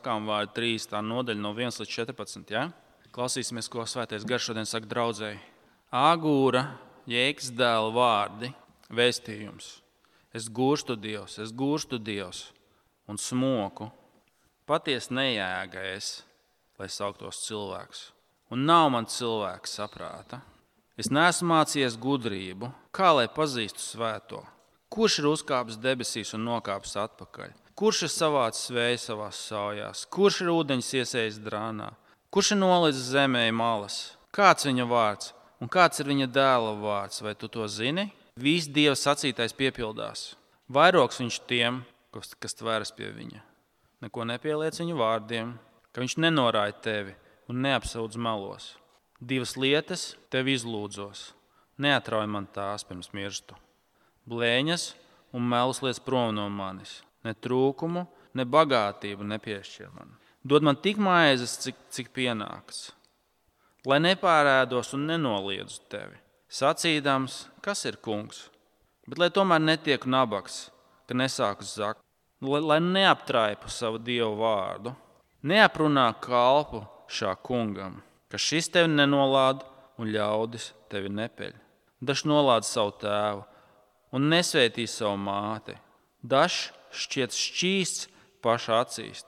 Sākām vārdu 3. nodaļa no 1 līdz 14. Ja? Klausīsimies, ko Svētais Gars šodien saka draudzēji. Āgūra, Jēkabs dēla vārdi, vēstījums. Es gūstu Dievs un smoku. Patiesi nejēga es, lai sauktos cilvēks. Un nav man cilvēks saprāta. Es neesmu mācījies gudrību, kā lai pazīstu svēto. Kurš ir uzkāpis debesīs un nokāpis atpakaļ? Kurš ir savācis vēju savās saujās? Kurš ir ūdeņus iesējis drānā? Kurš ir nolicis zemē malas? Kāds viņa vārds un kāds ir viņa dēla vārds? Vai tu to zini? Viss Dieva sacītais piepildās. Vairogs viņš tiem, kas tveras pie viņa. Neko nepieliec viņa vārdiem, ka viņš nenorāja tevi un neapsūdz melos. 2 lietas tev izlūdzos. Neatrauj man tās pirms mirstu. Blēņas un melus liec prom no manis. Ne trūkumu, ne bagātību nepiešķir man. Dod man tik maizes, cik pienāks. Lai nepārēdos un nenoliedzu tevi. Sacīdams, kas ir kungs, bet lai tomēr netieku nabaks, ka nesāku zakt. Lai neaptraipu savu Dievu vārdu. Neaprunā kalpu šā kungam, ka šis tevi nenolāda un ļaudis tevi nepeļ. Dažs nolāda savu tēvu un nesvētī savu māti. Dažs šķiet šķīsts paša acīs,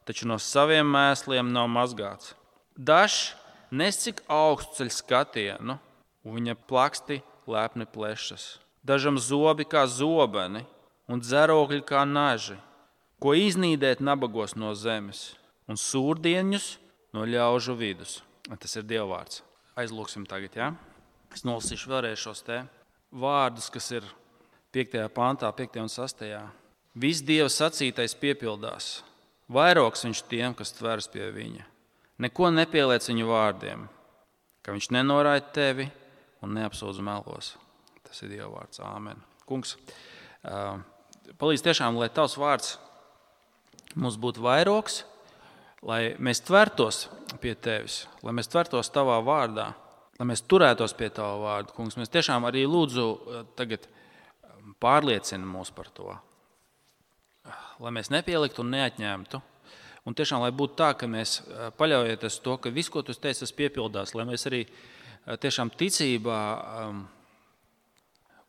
taču no saviem mēsliem nav mazgāts. Dažs nes cik augstu ceļ skatienu, un viņa plaksti lepni plešas. Dažam zobi kā zobeni un dzerokļi kā naži, ko iznīdēt nabagos no zemes un sūrdieņus no ļaužu vidus. Tas ir Dieva vārds. Aizlūksim tagad, ja? Es nolasīšu vēlreiz šos te vārdus, kas ir 5. pantā, 5. un 6. Viss Dieva sacītais piepildās. Vairogs viņš tiem, kas tveras pie viņa. Neko nepieliec viņu vārdiem, ka viņš nenorāja tevi un neapsūdz melos. Tas ir Dieva vārds. Āmen. Kungs, palīdz tiešām, lai tavs vārds mums būtu vairogs, lai mēs tvertos pie tevis, lai mēs tvertos tavā vārdā, lai mēs turētos pie tava vārda. Kungs, mēs tiešām arī lūdzu tagad pārliecina mūs par to. Lai mēs nepieliktu un neatņemtu. Un tiešām, lai būtu tā, ka mēs paļaujoties to, ka viss, ko tu teici, tas piepildās, lai mēs arī tiešām ticībā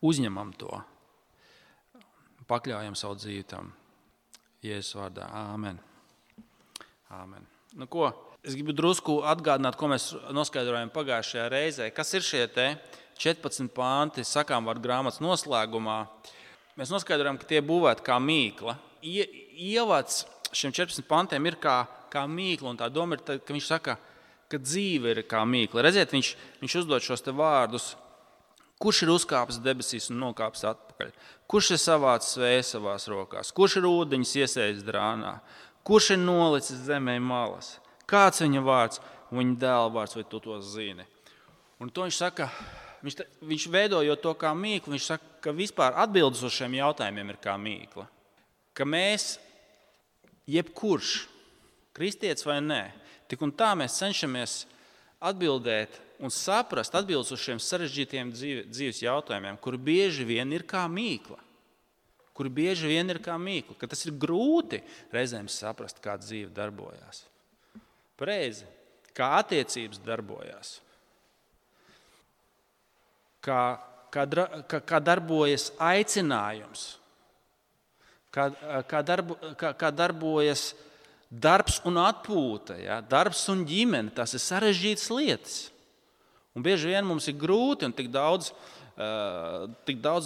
uzņemam to. Pakļaujam savu dzīvi tam. Jēzus vārdā. Āmen. Āmen. Nu ko, es gribu drusku atgādināt, ko mēs noskaidrojam pagājušajā reizē. Kas ir šie te 14 panti sakām vārdu grāmatas noslēgumā? Mēs noskaidrojam, ka tie būvēti kā mīkla. Ievads šiem 14 pantiem ir kā mīkla, un tā doma ir, ka viņš saka, ka dzīve ir kā mīkla. Redziet, viņš uzdod šos te vārdus. Kurš ir uzkāpis debesīs un nokāpis atpakaļ? Kurš ir savācis vēju savās rokās? Kurš ir ūdeņus iesējis drānā? Kurš ir nolicis zemē malas? Kāds viņa vārds un viņa dēla vārds, vai tu to zini? Un to viņš saka, viņš veidojot to kā mīklu, viņš saka, ka vispār atbildes uz šiem jautājumiem ir kā mīkla. Ka mēs, jebkurš, kristietis vai nē, tik un tā mēs cenšamies atbildēt un saprast atbildes uz šiem sarežģītiem dzīves jautājumiem, kuri bieži vien ir kā mīkla. Ka tas ir grūti reizēm saprast, kā dzīve darbojās. Pareizi, kā attiecības darbojās. Kā darbojas aicinājums. Kā darbojas darbs un atpūta. Ja? Darbs un ģimene, tas ir sarežģītas lietas. Un bieži vien mums ir grūti un tik daudz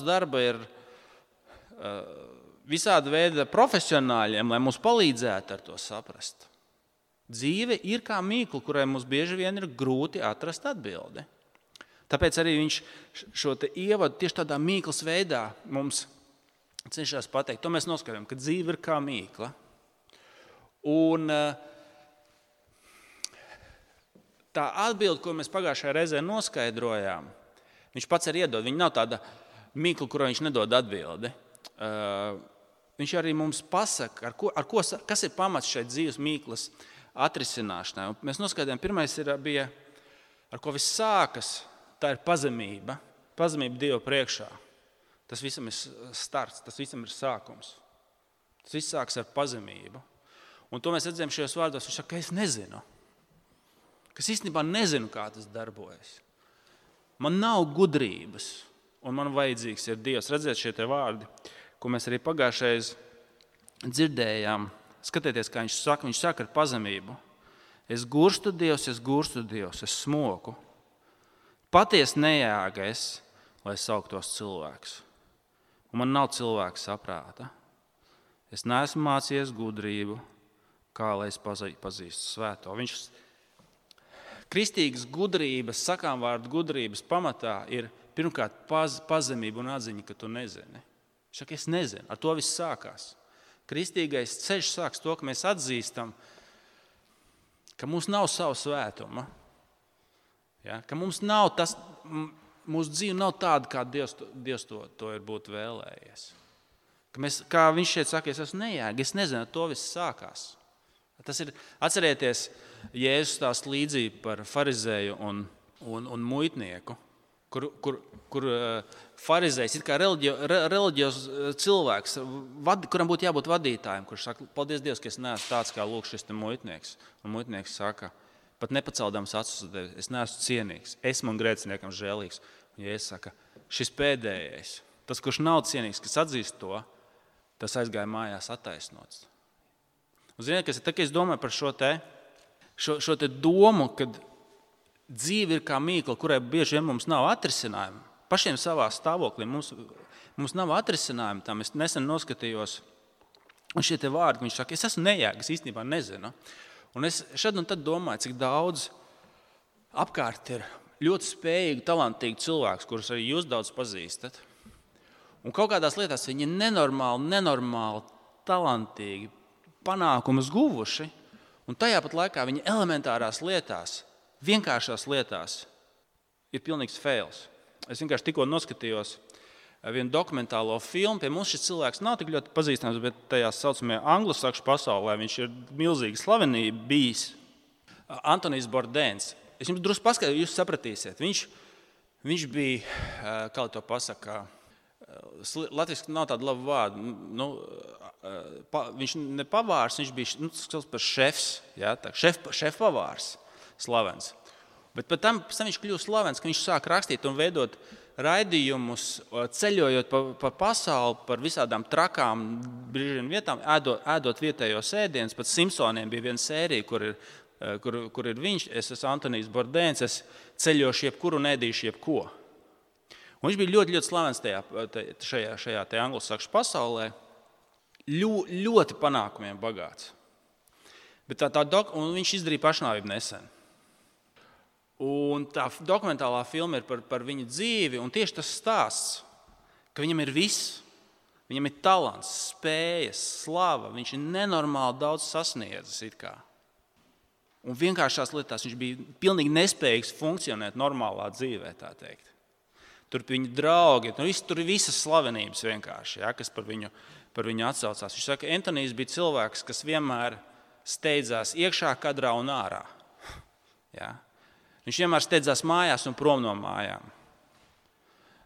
darba ir visāda veida profesionāļiem, lai mums palīdzētu ar to saprast. Dzīve ir kā mīkla, kurai mums bieži vien ir grūti atrast atbildi. Tāpēc arī viņš šo te ievadu tieši tādā mīklas veidā mums cenšas pateikt. To mēs noskaidrojam, ka dzīve ir kā mīkla. Un tā atbilde, ko mēs pagājušajā reizē noskaidrojām, viņš pats arī iedod. Viņa nav tāda mīkla, kurai viņš nedod atbildi. Viņš arī mums pasaka, kas ir pamats šai dzīves mīklas atrisināšanai. Un mēs noskaidrojām, pirmais bija, ar ko viss sākas, tā ir pazemība. Pazemība Dieva priekšā. Tas visam ir starts, tas visam ir sākums. Tas viss sāks ar pazemību. Un to mēs redzējām šajos vārdos. Viņš saka, ka es nezinu. Ka es īstenībā nezinu, kā tas darbojas. Man nav gudrības, un man vajadzīgs ir Dievs. Redziet šie te vārdi, ko mēs arī pagājušajā dzirdējām. Skatieties, kā viņš saka ar pazemību. Es gurstu Dievs, es smoku. Patiesi nejāga es, lai sauktos cilvēks. Un man nav cilvēka saprāta. Es neesmu mācījies gudrību, kā lai es pazīstu svēto. Kristīgas gudrības, sakām vārdu gudrības pamatā ir pirmkārt pazemība un atziņa, ka tu nezini. Viņš saka, es nezinu, ar to viss sākās. Kristīgais ceļš sāks to, ka mēs atzīstam, ka mums nav savu svētuma. Ja? Ka mums nav tas, mūsu dzīve nav tāda, kā Dievs to ir būt vēlējies. Ka mēs, kā viņš šeit saka, es esmu nejēga, es nezinu, ar to viss sākās. Tas ir, atcerieties, Jēzus stāsta līdzību par farizēju un muitnieku, kur farizējs ir kā reliģijos cilvēks, kuram būtu jābūt vadītājiem, kurš saka, paldies Dievs, ka es neesmu tāds kā lūk šis te muitnieks. Un muitnieks saka, pat nepaceldams acis uz tevi, es neesmu cienīgs, esmu un grēciniekam žēlīgs. Un Jēzus saka, šis pēdējais, tas, kurš nav cienīgs, kas atzīst to, tas aizgāja mājās attaisnots. Un ziniet, kas ir tā, ka es domāju par šo te domu, kad dzīve ir kā mīkla, kurai bieži vien mums nav atrisinājumu. Pašiem savā stāvoklī mums nav atrisinājumu tam. Es nesen noskatījos, un šie te vārdi, viņš saka, es esmu nejēga, es īstenībā nezinu. Un es šad un tad domāju, cik daudz apkārt ir ļoti spējīgi, talantīgi cilvēks, kurus arī jūs daudz pazīstat. Un kaut kādās lietās viņi ir nenormāli talantīgi, panākumus guvuši, un tajā pat laikā viņi elementārās lietās, vienkāršās lietās ir pilnīgs fails. Es vienkārši tikko noskatījos vienu dokumentālo filmu. Pie mums šis cilvēks nav tik ļoti pazīstams, bet tajā saucamajā anglosakšu pasaulē viņš ir milzīgi slavenība bijis. Antonijs Bordēns. Es jums drusku paskaidrošu, jūs sapratīsiet. Viņš bija, kā to pasaka, latviski nav tāda laba vārda. Viņš ne pavārs, viņš bija par šefs, šefpavārs slavens. Bet pēc tam viņš kļūst slavens, ka viņš sāk rakstīt un veidot raidījumus, ceļojot pa pasauli, par visādām trakām brīžiem vietām, ēdot vietējos ēdienus. Pat Simpsoniem bija viena sērija, kur ir viņš, es esmu Antonijs Bordēns, es ceļošu jebkuru un ēdīšu jebko. Un viņš bija ļoti, ļoti slavens šajā anglosakšu pasaulē, ļoti panākumiem bagāts. Bet un viņš izdarīja pašnāvību nesen. Un tā dokumentālā filma ir par viņa dzīvi, un tieši tas stāsts, ka viņam ir viss. Viņam ir talants, spējas, slava, viņš ir nenormāli daudz sasniedzis it kā. Un vienkāršās lietās viņš bija pilnīgi nespējīgs funkcionēt normālā dzīvē, tā teikt. Tur bija viņa draugi, tur ir visas slavenības vienkārši, kas par viņu atsaucās. Viņš saka, Antonijs bija cilvēks, kas vienmēr steidzās iekšā kadrā un ārā. Ja? Viņš vienmēr steidzās mājās un prom no mājām.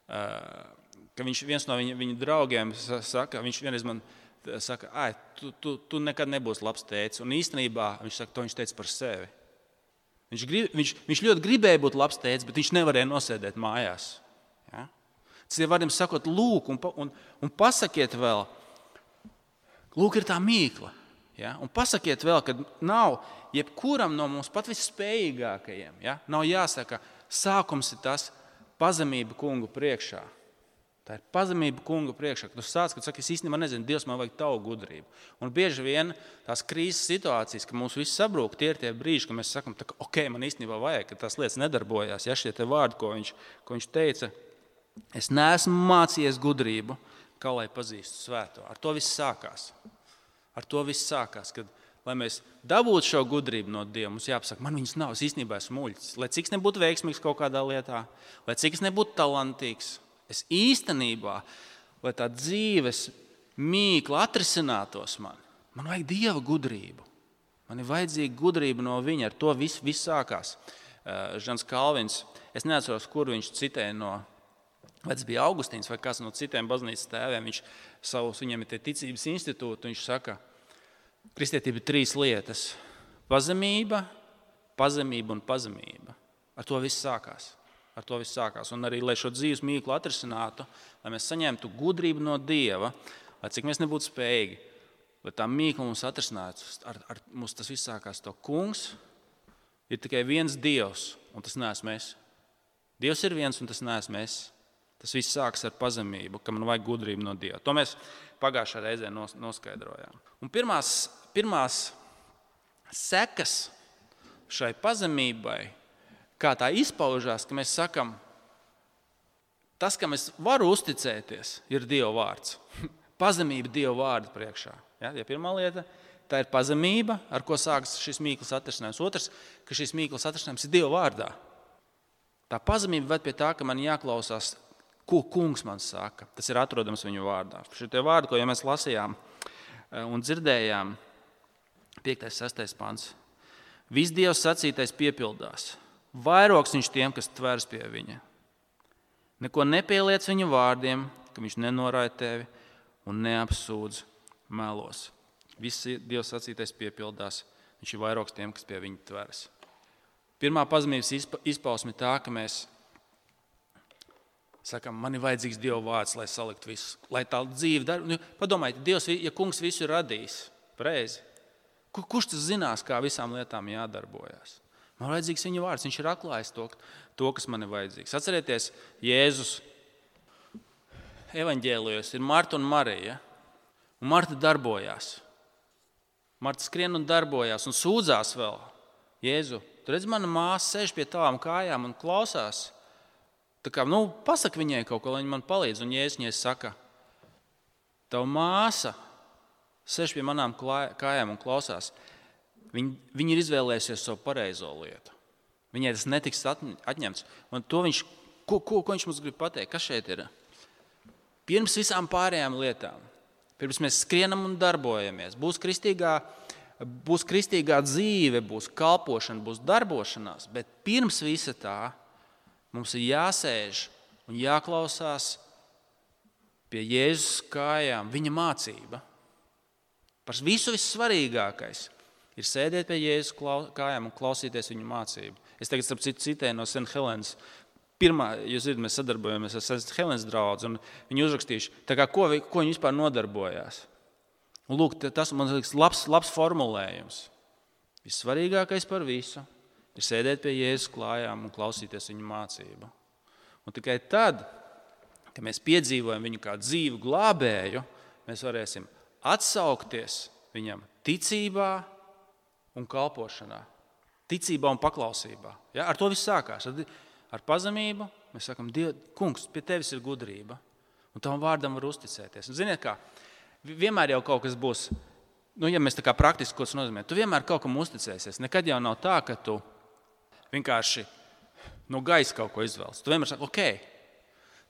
Ka viens no viņa draugiem saka, viņš vienreiz man saka, tu nekad nebūsi labs tētis. Un īstenībā viņš saka, to viņš teica par sevi. Viņš ļoti gribēja būt labs tētis, bet viņš nevarēja nosēdēt mājās. Ja? Tas ir varam sakot, lūk, un pasakiet vēl, lūk ir tā mīkla. Ja? Un pasakiet vēl, ka nav jebkuram no mums pat visspējīgākajiem. Ja? Nav jāsaka, sākums ir tas pazemība kungu priekšā. Tā ir pazemība kungu priekšā. Tu sāc, kad saki, es īstenībā nezinu, Dievs, man vajag tavu gudrību. Un bieži vien tās krīzes situācijas, ka mums viss sabrūk, tie ir tie brīži, ka mēs sakam, ok, man īstenībā vajag, ka tās lietas nedarbojās. Ja šie te vārdi, ko viņš teica, es neesmu mācījies gudrību, kā lai pazīstu svēto. Ar to viss sākās. Kad, lai mēs dabūtu šo gudrību no Dieva, mums jāpasaka, man viņas nav, es īstenībā esmu muļķis. Lai cik es nebūtu veiksmīgs kaut kādā lietā, lai cik es nebūtu talantīgs, es īstenībā, lai tā dzīves mīkla atrisinātos man vajag Dieva gudrību. Man ir vajadzīga gudrība no viņa, ar to viss sākās. Žans Kalvins, es neatceros, kur viņš citēja no, vai tas bija Augustīns vai kāds no citiem baznīcas tēviem, viņam ir tie ticības institūti, viņš saka, Kristietība ir 3 lietas – pazemība, pazemība un pazemība. Ar to viss sākās. Un arī, lai šo dzīves mīklu atrisinātu, lai mēs saņemtu gudrību no Dieva, lai cik mēs nebūtu spējīgi, lai tā mīkla mums atrisinātu, ar mums tas viss sākās to kungs, ir tikai viens Dievs, un tas neesmu es. Dievs ir viens, un tas neesmu es. Tas viss sākas ar pazemību, ka man vajag gudrību no Dieva. To mēs pagājušā reizē noskaidrojām. Un pirmās sekas šai pazemībai, kā tā izpaužās, ka mēs sakam, tas, kam es varu uzticēties, ir Dieva vārds. Pazemība Dieva vārda priekšā. Ja, pirmā lieta, tā ir pazemība, ar ko sākas šis mīklas atrisinājums. Otrs, ka šis mīklas atrisinājums ir Dieva vārdā. Tā pazemība ved pie tā, ka man jāklausās, ko kungs man saka. Tas ir atrodams viņu vārdā. Šie vārdi, ko jau mēs lasījām un dzirdējām, 5. 6. pants. Viss Dievs sacītais piepildās. Vairogs viņš tiem, kas tveras pie viņa. Neko nepieliec viņa vārdiem, ka viņš nenorāja tevi un neapsūdz melos. Viss Dievs sacītais piepildās. Viņš ir vairogs tiem, kas pie viņa tveras. Pirmā pazemības izpausme tā, ka mēs sakam, man ir vajadzīgs Dieva vārds, lai saliktu visu, lai tā dzīve darbu. Padomājiet, Dievs, ja kungs visu ir radījis, pareizi, kurš tas zinās, kā visām lietām jādarbojas? Man ir vajadzīgs viņa vārds, viņš ir atklājis to, kas man ir vajadzīgs. Atcerieties, Jēzus evaņģēlijos ir Marta un Marija, un Marta darbojās. Marta skrien un darbojās un sūdzās vēl. Jēzu, tu redz, mana māsa sēž pie tavām kājām un klausās. Tā kā, pasaka viņai kaut ko, lai viņa man palīdz. Un Jēzus viņai saka, tava māsa sēž pie manām kājām un klausās. Viņa ir izvēlējusies savu pareizo lietu. Viņai tas netiks atņemts. Un to ko viņš mums grib pateikt? Kas šeit ir? Pirms visām pārējām lietām, pirms mēs skrienam un darbojamies, būs kristīgā dzīve, būs kalpošana, būs darbošanās, bet pirms visa tā mums ir jāsēž un jāklausās pie Jēzus kājām viņa mācība. Par visu vissvarīgākais ir sēdēt pie Jēzus kājām un klausīties viņa mācību. Es tagad starp citu citēju no St. Helenas. Jūs zināt, mēs sadarbojamies ar St. Helenas draudzi, un viņi uzrakstījuši, ko viņi vispār nodarbojās. Un lūk, tas man liekas labs formulējums. Vissvarīgākais par visu ir sēdēt pie Jēzus kājām un klausīties viņa mācību. Un tikai tad, kad mēs piedzīvojam viņu kā dzīvu glābēju, mēs varēsim atsaukties viņam ticībā un kalpošanā. Ticībā un paklausībā. Ja? Ar to viss sākās. Ar pazemību mēs sakam, kungs, pie tevis ir gudrība. Un tavam vārdam var uzticēties. Un ziniet kā, vienmēr jau kaut kas būs, ja mēs tā kā praktiski ko tas nozīmē, tu vienmēr kaut kam uzticēsies. Nekad jau nav tā, ka tu vienkārši no gaisa kaut ko izvēlas. Tu vienmēr saki,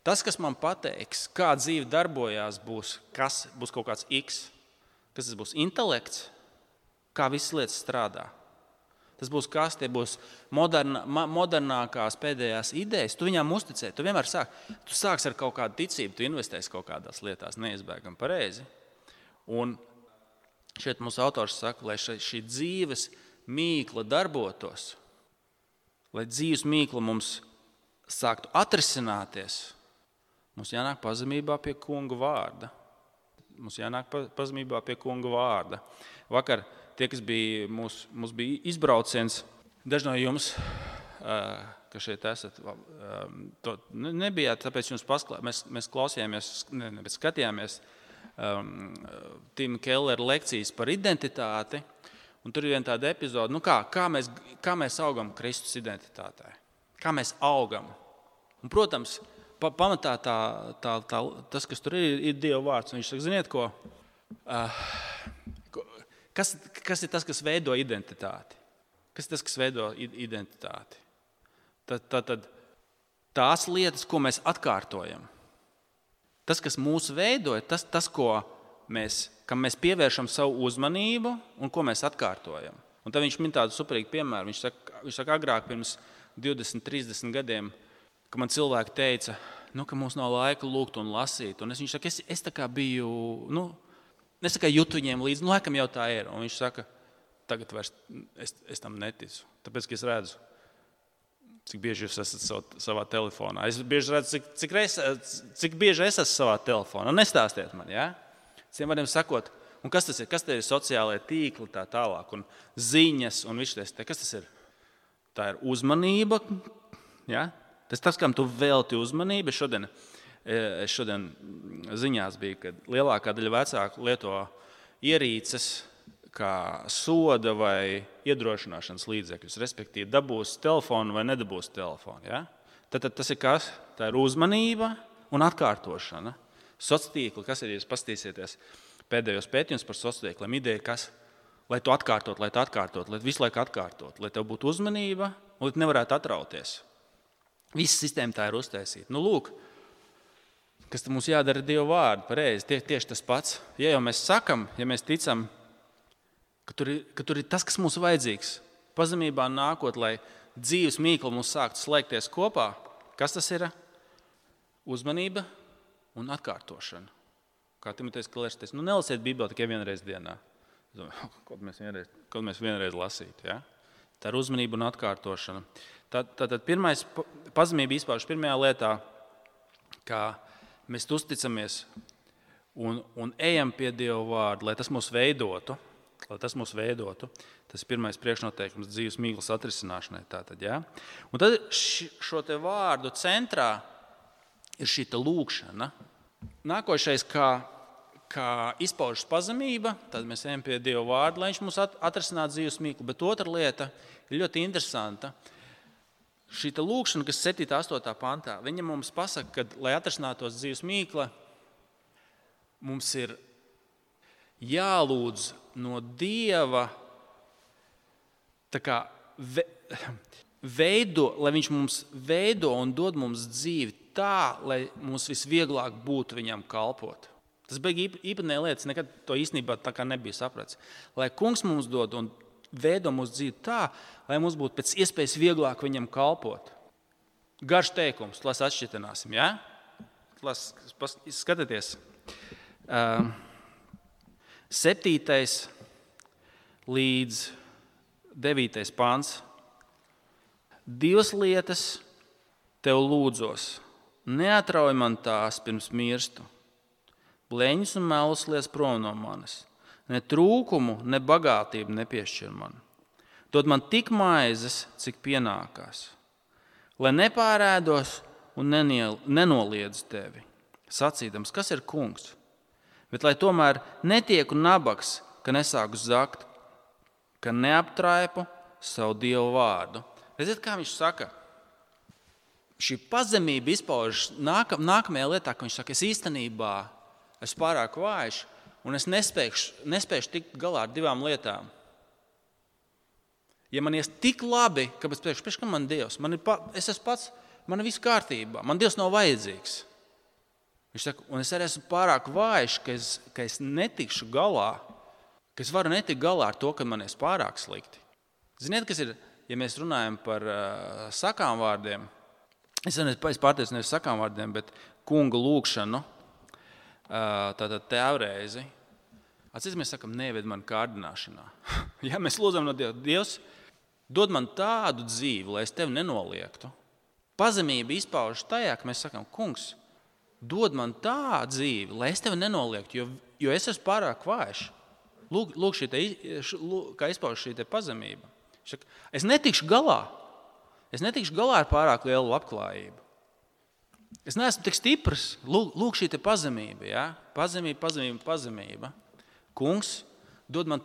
tas, kas man pateiks, kā dzīve darbojās, būs kaut kāds X. Kas tas būs? Intelekts? Kā visas lietas strādā? Tas būs kas? Tie būs modernākās pēdējās idejas. Tu viņām uzticē. Tu vienmēr sāks ar kaut kādu ticību, tu investēsi kaut kādās lietās neizbēgam pareizi. Un šeit mūsu autors saka, lai šī dzīves mīkla darbotos, lai dzīves mīkla mums sāktu atrisināties, mums jānāk pazemībā pie kunga vārda. Vakar tie, kas bija, mums bija izbrauciens, daži no jums, kas šeit esat, to nebijāt, tāpēc jums mēs klausījāmies, skatījāmies Tima Kellera lekcijas par identitāti, un tur ir viena tāda epizode, kā mēs augam Kristus identitātē, kā mēs augam. Un, protams, pamatā tas, kas tur ir Dieva vārds. Viņš saka, ziniet ko? Kas ir tas, kas veido identitāti? Kas ir tas, kas veido identitāti? Tad tās lietas, ko mēs atkārtojam. Tas, kas mūs veido, ir tas kam mēs pievēršam savu uzmanību un ko mēs atkārtojam. Un tad viņš min tādu superīgu piemēru. Viņš saka, agrāk pirms 20, 30 gadiem, ka man cilvēki teica, ka mums nav laika lūgt un lasīt. Un viņš saka, es tā kā biju, Nesakai jūtu viņiem līdzi, laikam jau tā ir. Un viņš saka, tagad vairs es tam neticu. Tāpēc, ka es redzu, cik bieži jūs esat savā telefonā. Es bieži redzu, cik bieži es esmu savā telefonā. Nestāstiet man, ja? Ciem vārdiem sakot, un kas tas ir? Kas te ir sociālajie tīkli tā tālāk? Un ziņas un viss tas. Kas tas ir? Tā ir uzmanība. Ja? Tas, kam tu velti uzmanību. Es šodien ziņās biju, ka lielākā daļa vecāku lieto ierīces kā soda vai iedrošināšanas līdzekļus, respektīvi dabūs telefonu vai nedabūs telefonu. Ja? Tad tas ir kas? Tā ir uzmanība un atkārtošana. Sociāltīkli, kas ir, ja jūs paskatīsieties pēdējos pētījumus par sociāltīkliem, ideja kas? Lai tu atkārtot, lai visu laiku atkārtot, lai tev būtu uzmanība un lai tu nevarētu atrauties. Visa sistēma tā ir uztaisīta. Nu, lūk, kas mums jādara Dieva vārdu pareizi, tieši tas pats. Ja jau mēs sakam, ja mēs ticam, ka tur ir tas, kas mums vajadzīgs, pazemībā nākot, lai dzīves mīkla mums sāktu slēgties kopā, kas tas ir? Uzmanība un atkārtošana. Kā Timotejs Kellers teica, nelasiet Bībeli tikai vienreiz dienā. Kaut mēs vienreiz lasītu. Ja? Tā ir uzmanība un atkārtošana. Tātad pirmais pazemība izpaužas pirmajā lietā, kā mēs uzticamies un ejam pie Dieva vārda, lai tas mūs veidotu. Tas ir pirmais priekšnoteikums dzīves mīklas atrisināšanai. Tātad, ja? Un tad šo te vārdu centrā ir šī lūkšana. Nākošais, kā izpaužas pazemība, tad mēs ejam pie Dieva vārda, lai viņš mums atrisinātu dzīves mīklu. Bet otra lieta ir ļoti interesanta. Šī lūkšana, kas 7. 8. pantā, viņa mums pasaka, ka, lai atrisinātos dzīves mīkla, mums ir jālūdz no Dieva lai viņš mums veido un dod mums dzīvi tā, lai mums visvieglāk būtu viņam kalpot. Tas bija īpatnēja lietas, nekad to īstenībā tā kā nebija saprats. Lai kungs mums dod un veido mūsu dzīvi tā, lai mums būtu pēc iespējas vieglāk viņam kalpot. Garš teikums, las atšķitināsim, ja? Skatieties. 7. līdz 9. pāns. 2 lietas tev lūdzos. Neatrauj man tās pirms mirstu. Bleņus un melus liec prom no manis. Ne trūkumu, ne bagātību nepiešķir man. Dod man tik maizes, cik pienākās. Lai nepārēdos un nenoliedz tevi. Sacīdams, kas ir kungs? Bet lai tomēr netieku nabaks, ka nesāku zakt, ka neaptraipu savu Dievu vārdu. Redziet, kā viņš saka? Šī pazemība izpaužas nākamajā lietā, ka viņš saka, es īstenībā esmu pārāk vājš un es nespēšu tikt galā ar 2 lietām. Ja man ies tik labi, kāpēc priekš kam man Dievs? Es esmu pats, man ir viss kārtībā, man Dievs nav vajadzīgs. Viņš saka, un es arī esmu pārāk vājš, ka es netikšu galā, ka es varu netikt galā ar to, ka man ir pārāk slikti. Ziniet, kas ir, ja mēs runājam par sakām vārdiem, es pārteicu nevis sakām vārdiem, bet kunga lūkšanu, tātad tēvreizi. Atcīm mēs sakam, neved man kārdināšanā. Ja mēs lūdzam no Dieva, Dievs, dod man tādu dzīvi, lai es tevi nenoliektu. Pazemība izpaužas tajā, ka mēs sakam, kungs, dod man tādu dzīvi, lai es tevi nenoliektu, jo es esmu pārāk vājš. Lūk kā izpaužas šī pazemība. Es netikšu galā ar pārāk lielu labklājību. Es neesmu tik stiprs. Lūk šī pazemība. Ja? Pazemība. Kungs, dod man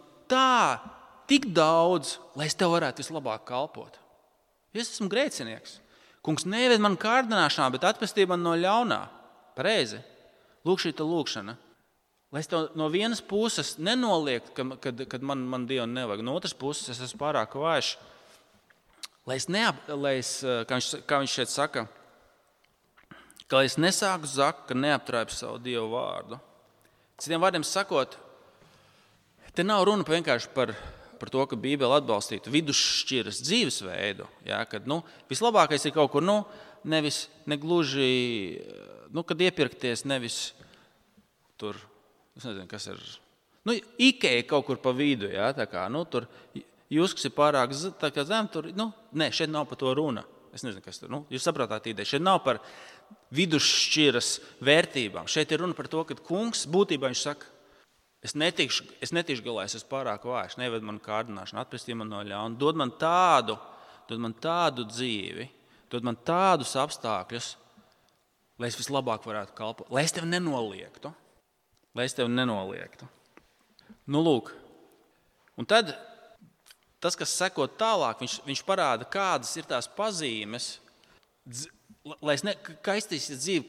tik daudz, lai es tev varētu vislabāk kalpot. Es esmu grēcinieks. Kungs, neved man kārdināšanā, bet atpestī man no ļaunā. Pareizi. Lūk šī lūkšana. Lai es tev no vienas puses nenoliektu, kad man Dievu nevajag. No otras puses es esmu pārāk vājš. Kā viņš šeit saka, ka lai es nesāku zakt, ka neaptraipu savu Dievu vārdu. Citiem vārdiem sakot, te nav runa vienkārši par to, ka Bībele atbalstītu vidusšķiras dzīvesveidu. Ja, kad vislabākais ir kaut kur, nevis negluži, kad iepirkties, nevis tur, es nezinu, kas ir Ikea kaut kur pa vidu, jā, tā kā, tur jūs, kas ir pārāk zem, tur, nē, šeit nav par to runa. Es nezinu, kas tur, jūs saprātāt ideju. Šeit nav par vidusšķiras vērtībām. Šeit ir runa par to, ka kungs būtībā viņš saka, es netikšu galā, es esmu pārāk vājš, neved man kārdināšanu, atpestī man no ļauna, dod man tādu dzīvi, dod man tādus apstākļus, lai es vislabāk varētu kalpot, lai es tevi nenoliektu. Lūk, un tad tas, kas seko tālāk, viņš parāda, kādas ir tās pazīmes, kā iztīsies dzīve,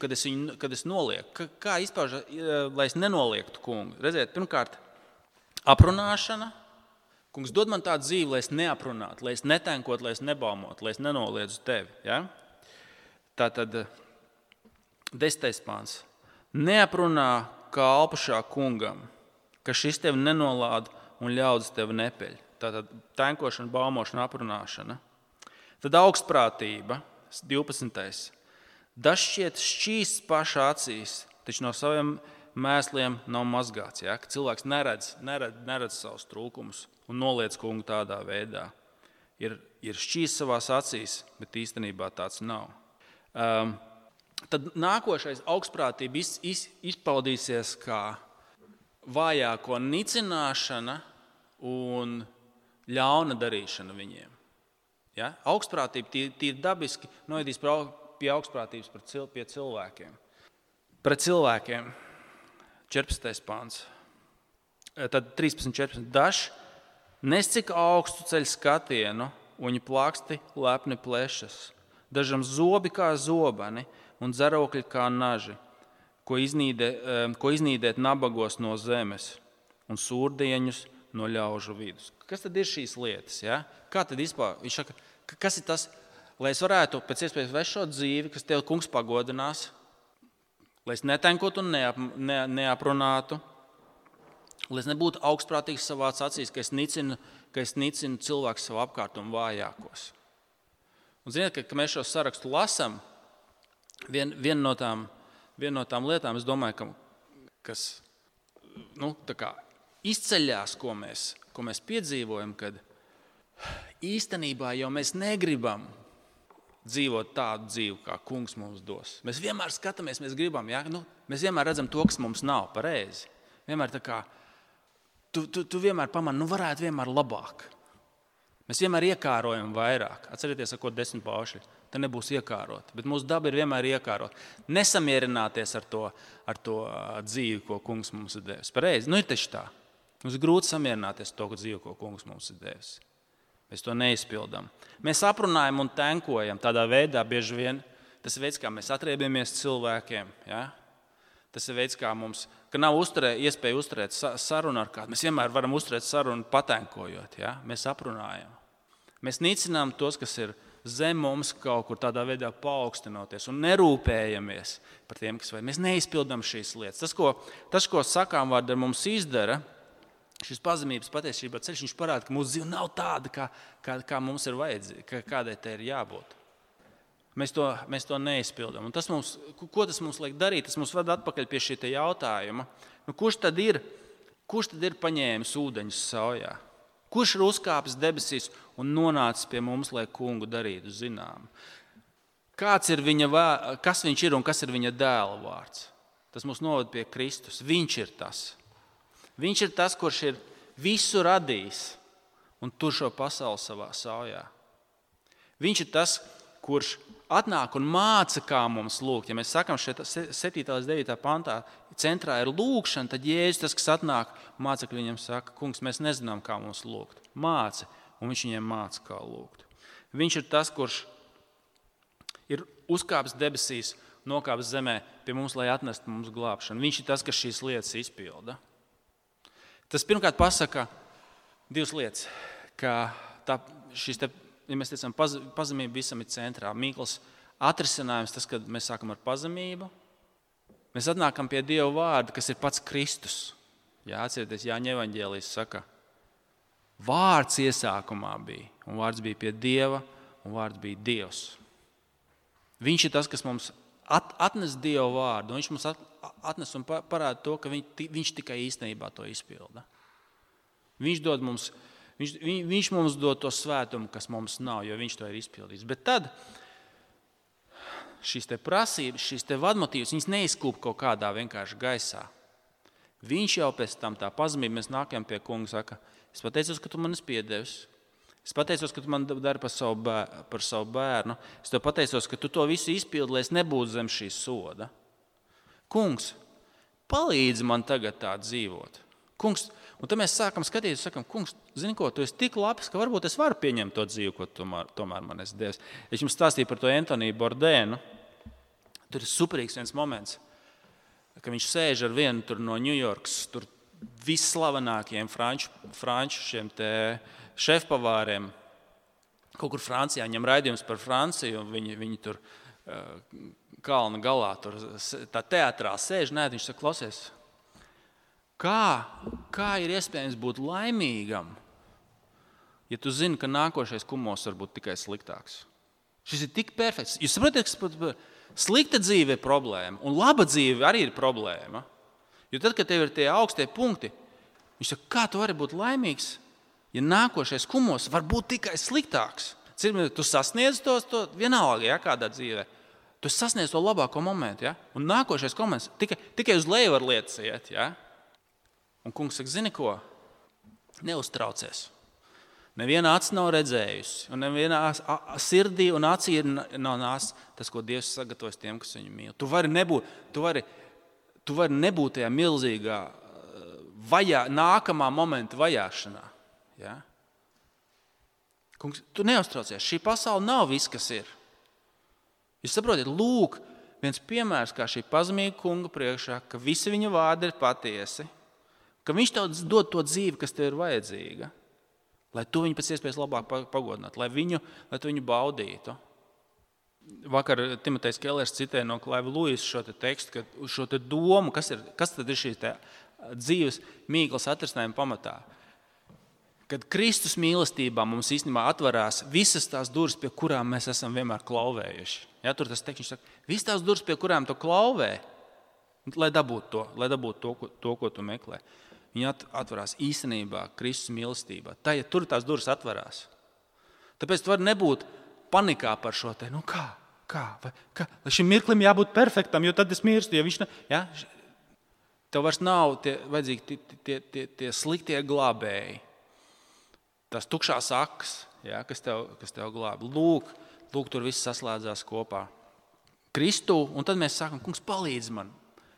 kad es nolieku, kā izpauž, lai es nenoliektu kungu. Redziet, pirmkārt, aprunāšana. Kungs dod man tādu dzīvi, lai es neaprunātu, lai es netenkotu, lai es nebaumotu, lai es nenoliedzu tevi. Ja? Tātad 10. pāns. Neaprunā kalpušā kungam, ka šis tevi nenolāda un ļaudis tevi nepeļ. Tātad tenkošana, baumošana, aprunāšana. Tad augstprātība, 12. Dažšķiet šķīsts pašā acīs, taču no saviem mēsliem nav mazgāts. Ja? Ka cilvēks neredz savus trūkumus un noliec kungu tādā veidā. Ir šķīsts savās acīs, bet īstenībā tāds nav. Tad nākošais augstprātība izpaudīsies kā vājāko nicināšana un ļauna darīšana viņiem. Ja? Augstprātība tīri dabiski novedīs pie augstprātības pie cilvēkiem. Pret cilvēkiem 14. pāns. Tad 13.14. Dažs nes cik augstu ceļ skatienu, un viņa plāksti lepni plešas. Dažam zobi kā zobani un dzerokļi kā naži, ko iznīdēt nabagos no zemes un sūrdieņus no ļaužu vidus. Kas tad ir šīs lietas? Ja? Kā tad vispār? Viņš saka, kas ir tas, lai es varētu pēc iespējas vest šo dzīvi, kas tev kungs pagodinās, lai es netenkotu un neaprunātu, lai es nebūtu augstprātīgs savās acīs, ka es nicinu cilvēku savu apkārt un vājākos. Un ziniet, ka mēs šo sarakstu lasam, viena no tām lietām, es domāju, kas tā kā izceļās, ko mēs piedzīvojam, kad īstenībā jau mēs negribam dzīvot tādu dzīvi, kā kungs mums dos. Mēs vienmēr skatāmies, mēs gribam, ja? Mēs vienmēr redzam to, kas mums nav pareizi. Vienmēr tā kā, tu vienmēr pamani, varētu vienmēr labāk. Mēs vienmēr iekārojam vairāk. Atcerieties, ar ko 10 pauši. Te nebūs iekārot, bet mūsu daba ir vienmēr iekārot. Nesamierināties ar to dzīvi, ko kungs mums ir devis. Pareizi, ir taču tā. Mums ir grūti samierināties ar to dzīvi, ko kungs mums ir devis. Mēs to neizpildām. Mēs aprunājam un tenkojam tādā veidā bieži vien. Tas ir veids, kā mēs atriebamies cilvēkiem. Ja? Tas ir veids, kā mums, ka nav iespēja uzturēt sarunu ar kādu. Mēs vienmēr varam uzturēt sarunu patenkojot. Ja? Mēs aprunājam. Mēs nicinām tos, kas ir zem mums kaut kur tādā veidā paaugstinoties un nerūpējamies par tiem, kas vajag. Mēs neizpildām šīs lietas. Tas, ko sakām vārdi ar mums izdara, šis pazemības patiesībā ceļš, viņš parāda, ka mūsu dzīve nav tāda, kā mums ir vajadzīga, kādai te ir jābūt. Mēs to neizpildām. Un ko tas mums liek darīt? Tas mums vada atpakaļ pie šī jautājuma. Kurš tad ir paņēmis ūdeņus saujā? Kurš ir uzkāpis debesīs un nonācis pie mums, lai kungu darītu zinām? Kas viņš ir un kas ir viņa dēla vārds? Tas mūs novada pie Kristus. Viņš ir tas. Viņš ir tas, kurš ir visu radījis un tur šo pasauli savā saujā. Viņš ir tas, kurš atnāk un māca, kā mums lūgt. Ja mēs sakām šeit 7. līdz 9. pantā, centrā ir lūgšana, tad Jēzus tas, kas atnāk, mācekļi viņam saka, kungs, mēs nezinām, kā mums lūgt. Māci, un viņš viņiem māca, kā lūgt. Viņš ir tas, kurš ir uzkāpis debesīs, nokāpis zemē pie mums, lai atnestu mums glābšanu. Viņš ir tas, kas šīs lietas izpilda. Tas pirmkārt pasaka divas lietas, ka ja mēs teicam, pazemība visam ir centrā. Mīkls atrisinājums tas, kad mēs sākam ar pazemību. Mēs atnākam pie Dieva vārda, kas ir pats Kristus. Jā, atcerieties, Jāņa evaņģēlijs saka, vārds iesākumā bija, un vārds bija pie Dieva, un vārds bija Dievs. Viņš ir tas, kas mums atnes Dieva vārdu, un viņš mums atnes un parāda to, ka viņš tikai īstenībā to izpilda. Viņš mums dod to svētumu, kas mums nav, jo viņš to ir izpildījis. Bet tad šīs te prasības, šīs te vadmotīvas, viņas neizkūp kaut kādā vienkārši gaisā. Viņš jau pēc tam tā pazemība, mēs nākam pie kunga, saka, es pateicos, ka tu man esi piedevis. Es pateicos, ka tu man dari par savu bērnu. Es tev pateicos, ka tu to visu izpildi, lai es nebūtu zem šī soda. Kungs, palīdzi man tagad tā dzīvot. Kungs, un tad mēs sākam skatīties, sakam, kungs, zini ko, tu esi tik labs, ka varbūt es varu pieņemt to dzīvi, ko tomēr man esi devis. Es jums stāstīju par to Antoniju Bourdainu. Tur ir superīgs viens moments, ka viņš sēž ar vienu tur no Ņujorkas, tur visslavenākajiem franču šiem te šefpavāriem. Kaut kur Francijā viņam raidījums par Franciju, un viņi tur kalna galā, tur tā teatrā sēž, viņš saka, klausies, kā ir iespējams būt laimīgam, ja tu zini, ka nākošais kumos var būt tikai sliktāks? Šis ir tik perfekts. Jūs saprotat, ka slikta dzīve ir problēma, un laba dzīve arī ir problēma. Jo tad, kad tev ir tie augstie punkti, viņš saka, kā tu vari būt laimīgs, ja nākošais kumos var būt tikai sliktāks? Tu sasniedz to vienalga, ja, kādā dzīvē. Tu sasniedz to labāko momentu, ja? Un nākošais moments tikai uz leju var lietas iet. Ja? Un kungs saka, zini ko? Neuztraucies. Neviena acis nav redzējusi, un neviena sirdī un acī nav nācis tas, ko Dievs sagatavojas tiem, kas viņu mīl. Tu vari nebūt tajā milzīgā nākamā momenta vajāšanā. Ja? Kungs, tu neuztraucies. Šī pasaule nav viss, kas ir. Jūs saprotiet, lūk, viens piemērs, kā šī pazemīga kunga priekšā, ka visi viņa vārdi ir patiesi, ka viņš tev dod to dzīvi, kas tev ir vajadzīga, lai tu viņu pēc iespējas labāk pagodinātu, lai tu viņu baudītu. Vakar Timotejs Kellers citēja no Klaiva Luisa šo te tekstu, šo te domu, kas tad ir šīs dzīves mīklas atrisinājuma pamatā. Kad Kristus mīlestībā mums īstenībā atverās visas tās durvis, pie kurām mēs esam vienmēr klauvējuši. Ja, tur tas teksts, viņš saka, visas tās durvis, pie kurām tu klauvē, lai dabūtu to, ko tu meklē. Viņi atverās īstenībā Kristus mīlestībā. Tā, ja tur tās durvis atverās. Tāpēc tu vari nebūt panikā par šo te, kā? Lai šim mirklim jābūt perfektam, jo tad es mirstu, ja viņš ja? Tev vairs nav vajadzīgi tie sliktie glābēji. Tās tukšās akas, ja, kas tev glāb. Lūk, tur viss saslēdzās kopā. Kristu, un tad mēs sākam, kungs, palīdz man.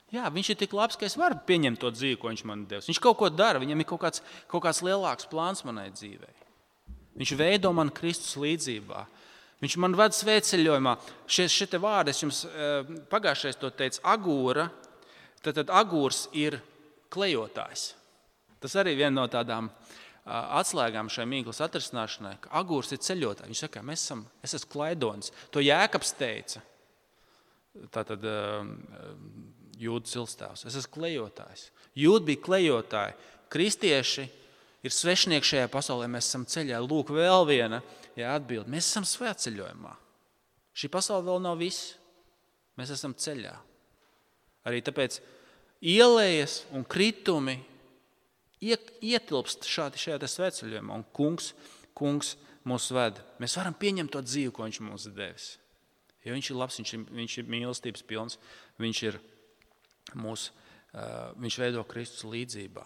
Jā, viņš ir tik labs, ka es varu pieņemt to dzīvi, ko viņš man devis. Viņš kaut ko dara, viņam ir kaut kāds lielāks plāns manai dzīvei. Viņš veido man Kristus līdzībā. Viņš man ved svētceļojumā. Šie te vārdi, es jums pagājušais to teicu, agūra. Tad agūrs ir klejotājs. Tas arī viena no tādām atslēgām šai mīklas atrisināšanai, ka agūrs ir ceļotājs. Viņš saka, es esmu klaidonis. To Jēkabs teica. Tātad Jūda cilstāvs. Es esmu klejotājs. Jūda bija klejotāji. Kristieši ir svešnieki šajā pasaulē. Mēs esam ceļā. Lūk, vēl viena atbilde. Mēs esam svētceļojumā. Šī pasaule vēl nav viss. Mēs esam ceļā. Arī tāpēc ielējas un kritumi ietilpst šajā svētceļojumā. Un kungs mūs ved. Mēs varam pieņemt to dzīvi, ko viņš mums ir devis. Jo viņš ir labs, viņš ir mīlestības pilns. Viņš veido Kristus līdzībā.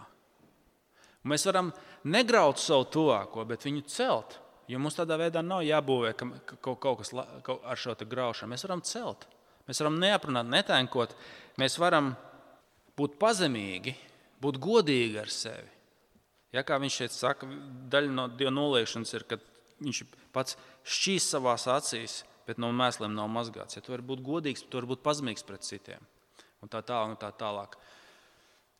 Un mēs varam negraut savu tuvāko, bet viņu celt. Jo mums tādā veidā nav jābūvē kaut kas ar šo te graušanu. Mēs varam celt. Mēs varam neaprunāt, netēnkot. Mēs varam būt pazemīgi, būt godīgi ar sevi. Ja, kā viņš šeit saka, daļa no Dieva noliekšanas ir, kad viņš pats šķīs savās acīs, bet no mēsliem nav mazgāts. Ja tu vari būt godīgs, tu vari būt pazemīgs pret citiem. Un tā tālāk.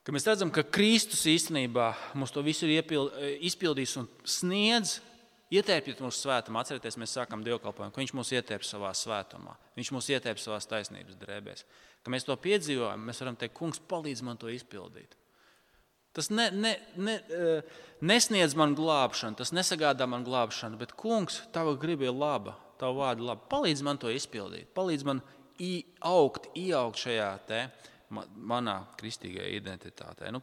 Kad mēs redzam, ka Kristus īstenībā mums to visu ir izpildījis un sniedz, ietērpjot mūsu svētumā. Atcerieties, mēs sākam dievkalpojumu, ka viņš mūs ietērp savā svētumā. Viņš mūs ietērp savās taisnības drēbēs. Kad mēs to piedzīvojam, mēs varam teikt, kungs, palīdz man to izpildīt. Tas nesniedz man glābšanu, tas nesagādā man glābšanu, bet kungs, tava griba ir laba, tava vārda ir laba. Palīdz man to izpildīt, palīdz man ieaugt šajā te manā kristīgajā identitātē.